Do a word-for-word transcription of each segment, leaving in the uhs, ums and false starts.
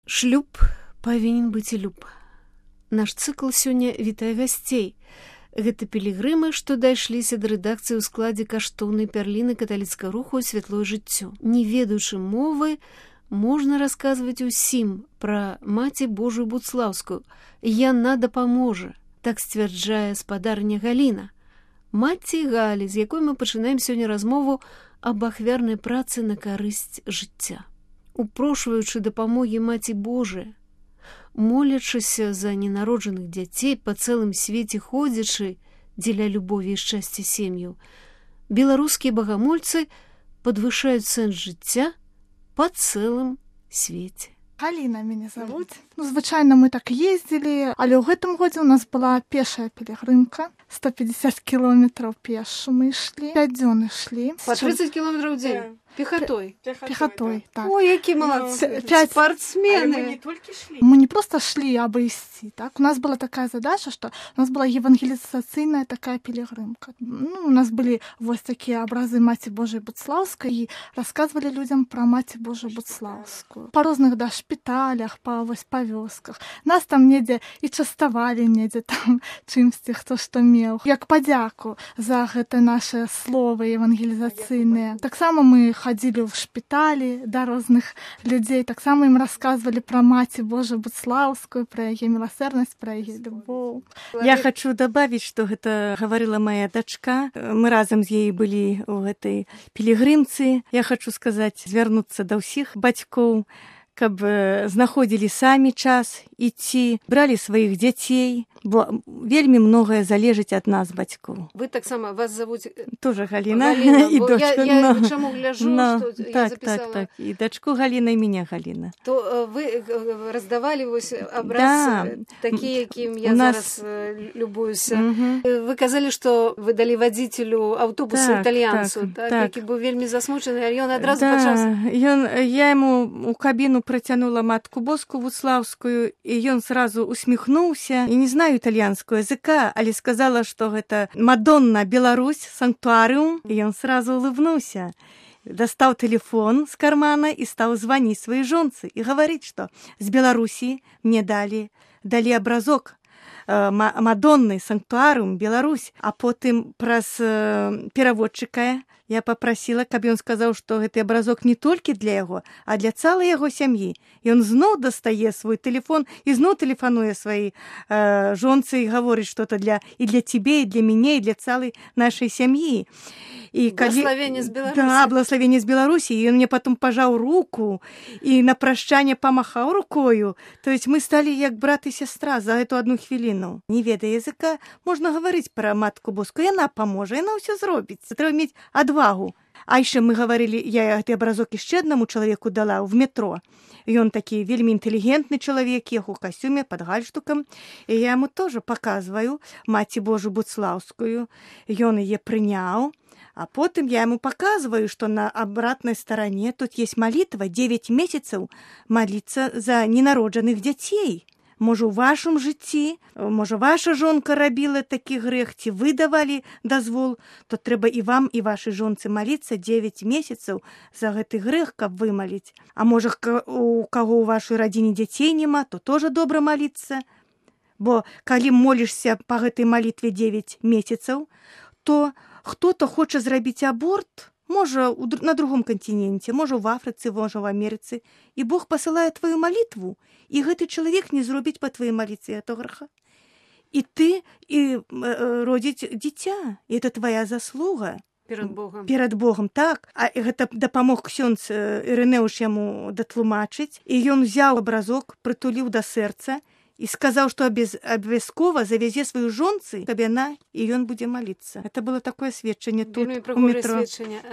Шлюб павінен быць і люб. Наш цыкл сёння вітае гасцей. Гэта пілігрымы, што дайшліся да рэдакцыі ў складзе каштоўнай пярліны каталіцкага руху «Святлое жыццё». Не ведаючы мовы, можна расказваць усім пра маці Божую Буцлаўскую. Яна дапаможа, так сцвярджае спадарня Галіна. Маці Галі, з якой мы пачынаем сёння размову аб ахвярнай працы на карысць жыцця. Упрошваючы дапамогі маці Божыя, молячыся за ненароджаных дзяцей, па цэлым свеце ходзячы дзеля любові і шчасця сем'яў, беларускія багамольцы падвышаюць сэнс жыцця па цэлым свеце. Галіна мяне завуць. Ну, звычайна мы так ездзілі, але ў гэтым годзе ў нас была пешая пілігрымка. сто пятьдесят кілометраў пешу мы ішлі. пяць дзён ішлі. Па тридцать кілометраў ў дзень? Пехотой? Пехотой, так. Ой, які молодцы, пять... спортсмены. Мы не только шли. Мы не просто шли, а бы идти, так? У нас была такая задача, что у нас была евангелизационная такая пилигримка. Ну, у нас были вот такие образы Мати Божией Буцлаўскай, и рассказывали людям про Мати Божию Буцлаўскую. По разных, да, шпиталях, по, вось, по вёсках. Нас там недзе и частовали, недзе там чымсьці, хто што меў. Як падзяку за гэта наше слово евангелизационное. Так само мы ходили в шпитали до разных людей, так само им рассказывали про Мати Божию Буцлаўскую, про ее милосердность, про ее любовь. Я хочу добавить, что это говорила моя дочка. Мы разом с ей были в этой пилигримце. Я хочу сказать, звярнуцца до всех батьков, каб знаходзілі самі час ідці, бралі сваіх дзяцей, бо вельмі многае залежыць ад нас, бацькоў. Вы таксама, вас зовут... Тоже Галіна. Галіна, і дочка. Я, я чаму гляжу, но, что так, я записала. Так, так, і дачку Галіна, і меня Галіна. То вы раздавали вось образ, да. такі, якім я нас... зараз любуюся. Угу. Вы казалі, што вы далі вадзіцелю аўтобуса так, італьянцу, так, так, так. які быў вельмі засмучаны, а ён адразу да. пачаў... Ён, я яму у кабіну протянула Матку Боску Буцлаўскую, и он сразу усмехнулся. И не знаю итальянского языка, але сказала, что это Мадонна, Беларусь, санктуариум. И он сразу улыбнулся. Достал телефон с кармана и стал звонить своей жонце и говорить, что с Белоруссии мне дали, дали образок э, Мадонны, санктуариум, Беларусь. А потом праз э, переводчика я попросила, каб ён сказаў, што гэты абразок не толькі для яго, а для цалай яго сям'і. І ён зноў дастае свой тэлефон і зноў тэлефануе сваёй э, жонцы і гаворыць, што это для і для цябе, і для мяне, і для цалай нашай сям'і. І калі... Благословение з Беларусі. Да, благословение з Беларусі. І ён мне потом пажаў руку і на прощанне памахаў рукою. То есть мы сталі як брат і сястра за эту одну хвіліну. Не ведая языка, можна гаварыць пра Матку Боску. Яна паможа, яна ўсё зробіць. Трэба мець адвагу. А яшчэ мы гаварылі, я гэты абразок яшчэ аднаму чалавеку дала в метро. Ён такі вельмі інтэлігентны чалавек, ехаў у касцюме пад гальштукам. І я яму тоже показваю Маці Божу Буцлаўскую. Ён яе прыняў. А потом я ему показываю, что на обратной стороне тут есть молитва, девять месяцев молиться за ненародженных детей. Може, у вашому житті, може, ваша жонка робила такі грех, ці ви давали дозвол, то треба і вам, і вашій жонці молитися девять месяцев за гэты грех, каб вымолить. А може, у кого у вашей родине детей нема, то тоже добре молиться. Бо калі молишься по гэтай молитве девять месяцев, то хто-то хоче зрабіць аборт, може на другом континенте, може в Африце, може в Америце, и Бог посылает твою молитву, и гэты человек не зробіць по твоей молитве этого греха. И ты и э, родить дитя, и это твоя заслуга. Перед Богом. Перед Богом, так. А гэта дапамог ксёндз Ірынеуш яму датлумачыць, і ён взяў абразок, прытуліў да сэрца, и сказал, что обовязково завезе свою жонцы, каб яна, и он будет молиться. Это было такое сведчение тут, у метро.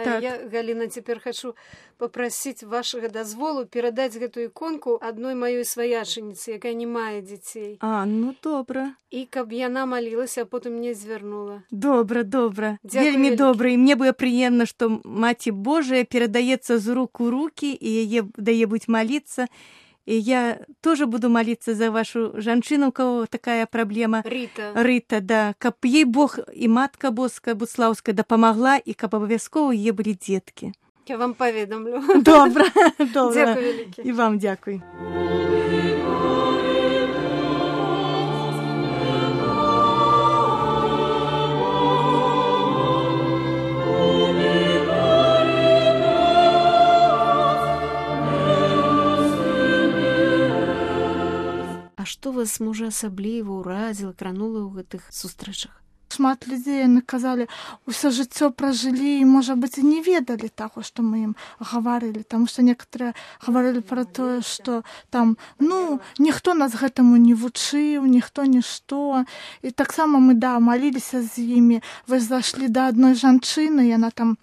Так. Я, Галина, теперь хочу попросить вашего дозволу передать эту иконку одной моей свояченице, якая не мае детей. А, ну добра. И каб яна молилась, а потом мне звернула. Добра, добра. Дякую, вельмі вялікі. Добра. И мне было приемно, что Маці Божия передается з рук у руки, и яе дае будь молиться. И я тоже буду молиться за вашу жанчыну, у кого такая проблема. Рита. Рита, да. Каб ей Бог и Матка Боска Буцлаўская дапамагла, и каб обовязково ей были детки. Я вам поведомлю. Добра, добра. Дякую, вялікі. И вам дякую. А што вас, можа, асабліва ўразіла, кранула ў гэтых сустрэчах? Шмат людзей яны казалі, усё жыццё пражылі і, можа быць, і не ведалі таго, што мы ім гаварылі, таму што некаторыя гаварылі пра тое, што там, ну, ніхто нас гэтаму не вучыў, ніхто нішто. І таксама мы, да, маліліся з імі. Вы зайшлі да адной жанчыны, яна там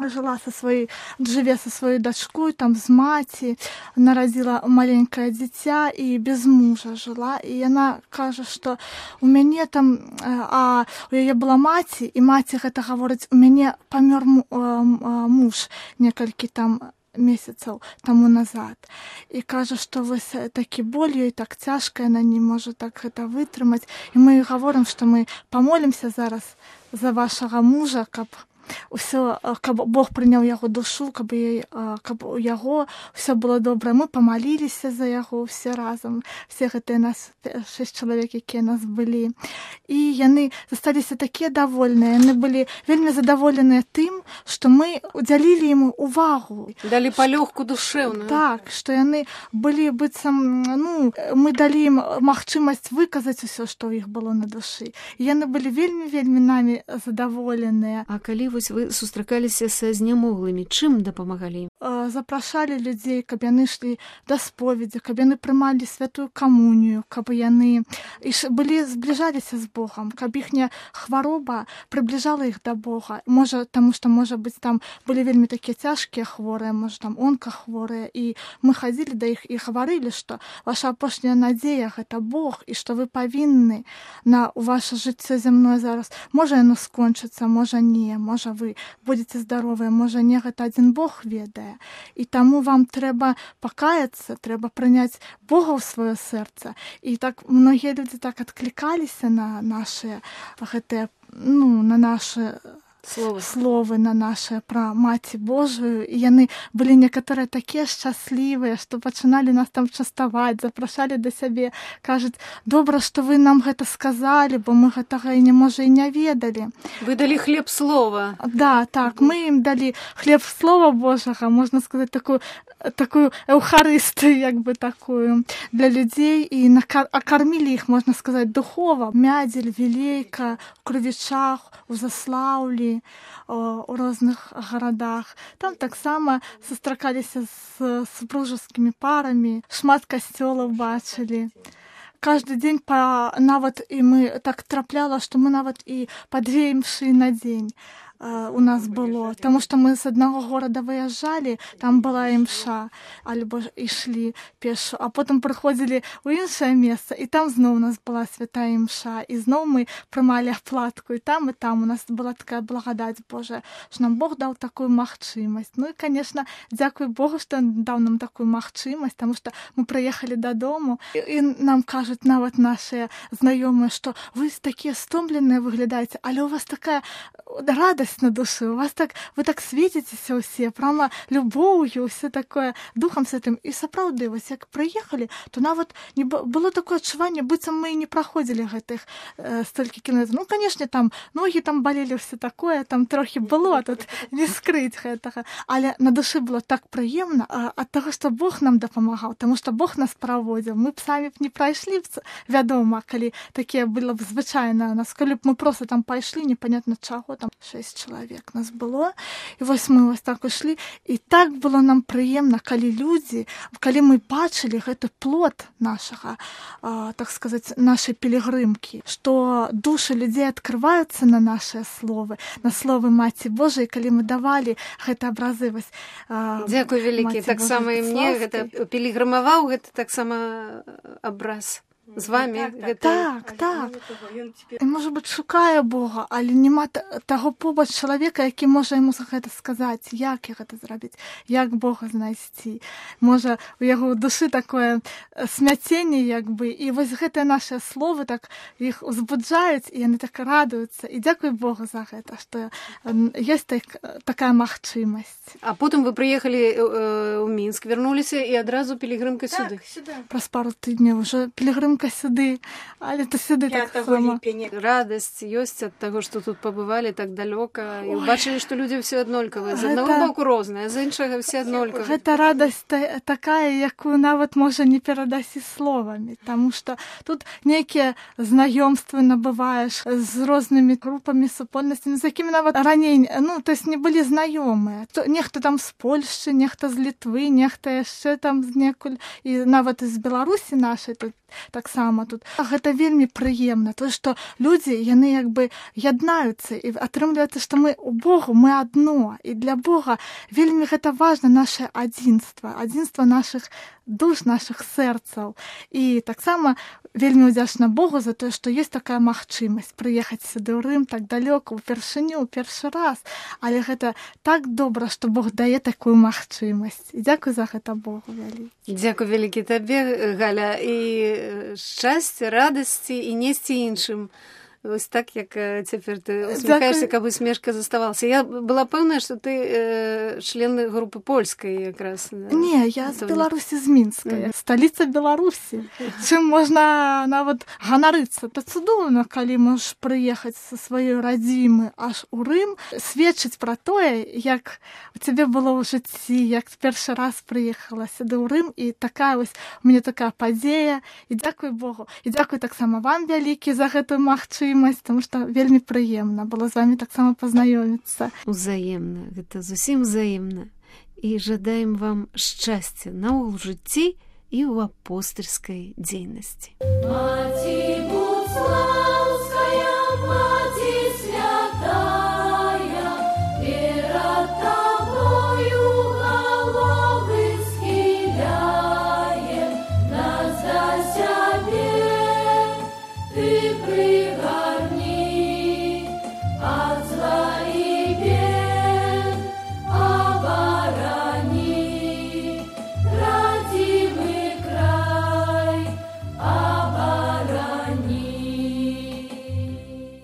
жыла со сваёй, жыве со сваёй дачкой, там з маці, нарадзіла маленькае дзіця і без мужа жыла. І яна кажа, што у мяне там, а у яе была маці, і маці гэта гаворыць, у мяне памёр муж некалькі там месяцаў таму назад. І кажа, што вось такі боль ёй, так цяжка, яна не можа так гэта вытрымаць. І мы гаворым, што мы памолімся зараз за вашага мужа, каб усё, каб Бог прыняў яго душу, каб, яй, каб у яго ўсё было добра. Мы памаліліся за яго ўсе разам, все гэтыя нас шэсць чалавек, якія нас былі. І яны засталіся такія давольныя, яны былі вельмі задаволеныя тым, што мы удзялілі ім увагу. Далі палёгку душэўную. Так, што яны былі быццам, ну, мы далі ім магчымасць выказаць усё, што ў іх было на душы. І яны былі вельмі-вельмі намі задаволеныя. А калі вось вы сустракаліся са знямоглымі, чым дапамагалі ім? Запрашалі людзей, каб яны ішлі да споведзі, каб яны прымалі святую камунію, каб яны былі, збліжаліся з Богам, каб іхняя хвароба прыбліжала іх да Бога. Можа, таму што, можа быць, там былі вельмі такія цяжкія хворыя, можа, там онкахворыя, і мы хадзілі да іх і гаварылі, што ваша апошняя надзея — гэта Бог, і што вы павінны на ваше жыццё зямное зараз. Можа, яно скончыцца, можа, не, можа, вы будзеце здаровыя, можа, не, гэта адзін Бог ведае. І таму вам трэба пакаяцца, трэба прыняць Бога ў сваё сэрца. І так многія людзі так адклікаліся на нашыя гэтыя, ну, на нашы Словы. словы, на нашы пра Маці Божую. І яны былі некаторыя такія шчаслівыя, што пачыналі нас там частаваць, запрашалі да сябе, кажуць, добра, што вы нам гэта сказалі, бо мы гэтага і не, можа, і не ведалі. Вы далі хлеб слова. Да, так, мы ім далі хлеб слова Божага, можна сказаць, такую такую эўхарыстыю, як бы такую для людзей, і акармілі іх, можна сказаць, духова. Мядзель, Вілейка, у Крывічах, у Заслаўлі, у розных гарадах. Там таксама сустракаліся з супружескімі парамі, шмат касцёлаў бачылі. Каждый дзень па, нават і мы так трапляла, што мы нават і па две імшы на дзень у нас было, таму што мы з аднаго горада выязджалі, там была імша, альбо ішлі пешу, а потым прыходзілі ў іншае месца, і там зноў у нас была святая імша, і зноў мы прымалі аплатку, і там, і там у нас была такая благадаць Божая, што нам Бог даў такую магчымасць. Ну і, канешне, дзякуй Богу, што даў нам такую магчымасць, таму што мы прыехалі дадому, і нам кажуць нават нашыя знаёмыя, што вы такія стомленыя выглядаеце, але у вас такая радасць на душы, у вас так, вы так светіцеся ўсе, прямо любоўю, ўсё такое, духам святым. І сапраўды, вось як прыехалі, то нават не было такое адчуванне, быццам мы і не праходзілі гэтых э, столькі кіламетраў. Ну, канешне, там ногі там балелі, ўсё такое, там трохі было, тут не скрыць гэтага. Але на душы было так прыемна а, ад таго, што Бог нам дапамагаў, таму што Бог нас праводзіў. Мы б самі б не прайшлі б, вядома, калі такія было б звычайна у нас, калі б мы проста там пайшлі, непонятна чаго, там шэсць чалавек нас было, і вось мы вось так ішлі, і так было нам прыемна, калі людзі, калі мы бачылі гэты плод нашага, а, так сказаць, нашай пілігрымкі, што душы людзей адкрываюцца на нашыя словы, на словы Маці Божай, калі мы давалі гэта абразы вось. А, дзякуй вялікі, таксама і мне гэта пілігрымаваў, гэта таксама абраз з вами. Так, Гэта... Так, так. І, може бути, шукає Бога, але нема того побач чоловіка, який може йому гэта сказати, як я гэта зробити, як Бога знайсці. Може, у його душі таке смятення, якби, і ось гэтыя наші слови так їх узбуджають, і вони так радуються. І дякую Богу за гэта, що є так, така магчимость. А потім ви приїхали э, у Мінськ, вернулися і одразу пілігримка сюди. Так, сюди. Праз пару тижнів вже пілігримка сюди, але то сюди так само. Радость ёсць ад таго, што тут пабывалі так далёка і ўбачылі, што людзі ўсе аднолькавыя. З аднаго Гэта- боку розныя, з іншага все аднолькавыя. Гэта радасць та- такая, якую нават можа не перадасі словамі, таму што тут нейкія знаёмствы набываеш з рознымі групамі супольнасцямі, з якімі нават раней, ну, то есть не былі знаёмыя. То- Нехта там з Польшчы, нехта з Літвы, нехта яшчэ там з некуль, і нават з Беларусі нашай тут таксама тут. Гэта вельмі прыемна, то што людзі, яны як бы яднаюцца, і атрымліваецца, што мы у Богу, мы адно, і для Бога вельмі гэта важна наше адзінства, адзінства нашых душ, нашых сэрцаў. І таксама вельмі ўдзячна Богу за тое, што ёсць такая магчымасць прыехаць сюды ў Рым так далёка, упершыню, першы раз. Але гэта так добра, што Бог дае такую магчымасць. І дзякуй за гэта Богу вялікі. Дзякуй вялікі табе, Галя, і шчасця, радасці і несці іншым. Ось так, як э, цяпер ты усміхаешся, каб усмешка заставалася. Я была пэўная, што ты э, член групы польскай якраз. Да? Не, я з Беларусі, з Мінска, mm-hmm. сталіца Беларусі. Чым можна нават ганарыцца. То цудоўна, калі можаш прыехаць са сваёй радзімы аж у Рым, сведчыць пра тое, як у цябе было ў жыцці, як першы раз прыехала сюды ў Рым, і такая вось у мяне такая падзея. І дзякуй Богу. І дзякуй таксама вам вялікі за гэтую магчымасць, тому што вельмі прыемна было з вами таксама пазнаёміцца. Узаемна, гэта зусім узаемна. І жадаем вам шчасця наогул у жыцці і ў апостальскай дзейнасці. Маці, будь слава!